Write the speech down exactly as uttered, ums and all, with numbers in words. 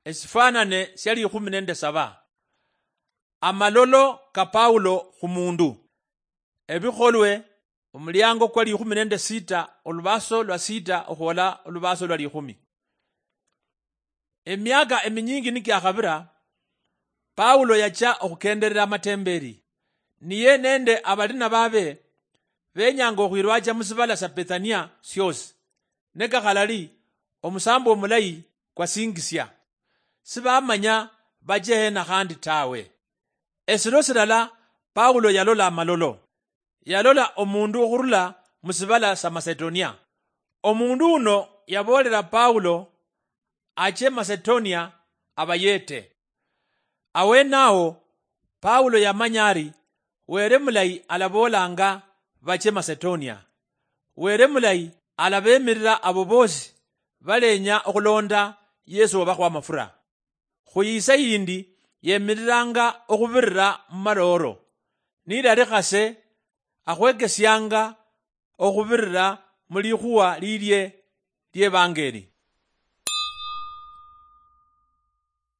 Esifanane sia likhumi nende saba. Amalolo ka Paulo khu mundu. Ebikholwe, omuliango kwa likhumi nende sita, olubaso lwa sita okhwola olubaso lwa likhumi. Emiaka eminyingi nikiakhabira, Paulo yacha okhukenderera amatemberi. Niye nende abalina babe benyanga okhwirwacha musibala sa Bethania siosi. Ne kakhalali, omusambo omulayi kwasingisia. Sibamanya bache hena khandi tawe. Esiro silala, Paulo yalola amalolo. Yalola omundu okhurula musibala sa Macedonia. Omundu uno yaboolera Paulo ache Macedonia abayete. Awenawo, Paulo yamanya ari Were mulayi alaboolanga bache Macedonia. Were mulayi alabemirira abo boosi balenya okhulonda Yesu wabakhwa amafura. Khuyisa yindi yemiriranga okhubirira mumalooro, nilali khase akhwekesianga okhubirira mulikhuwa lilie lievangeli.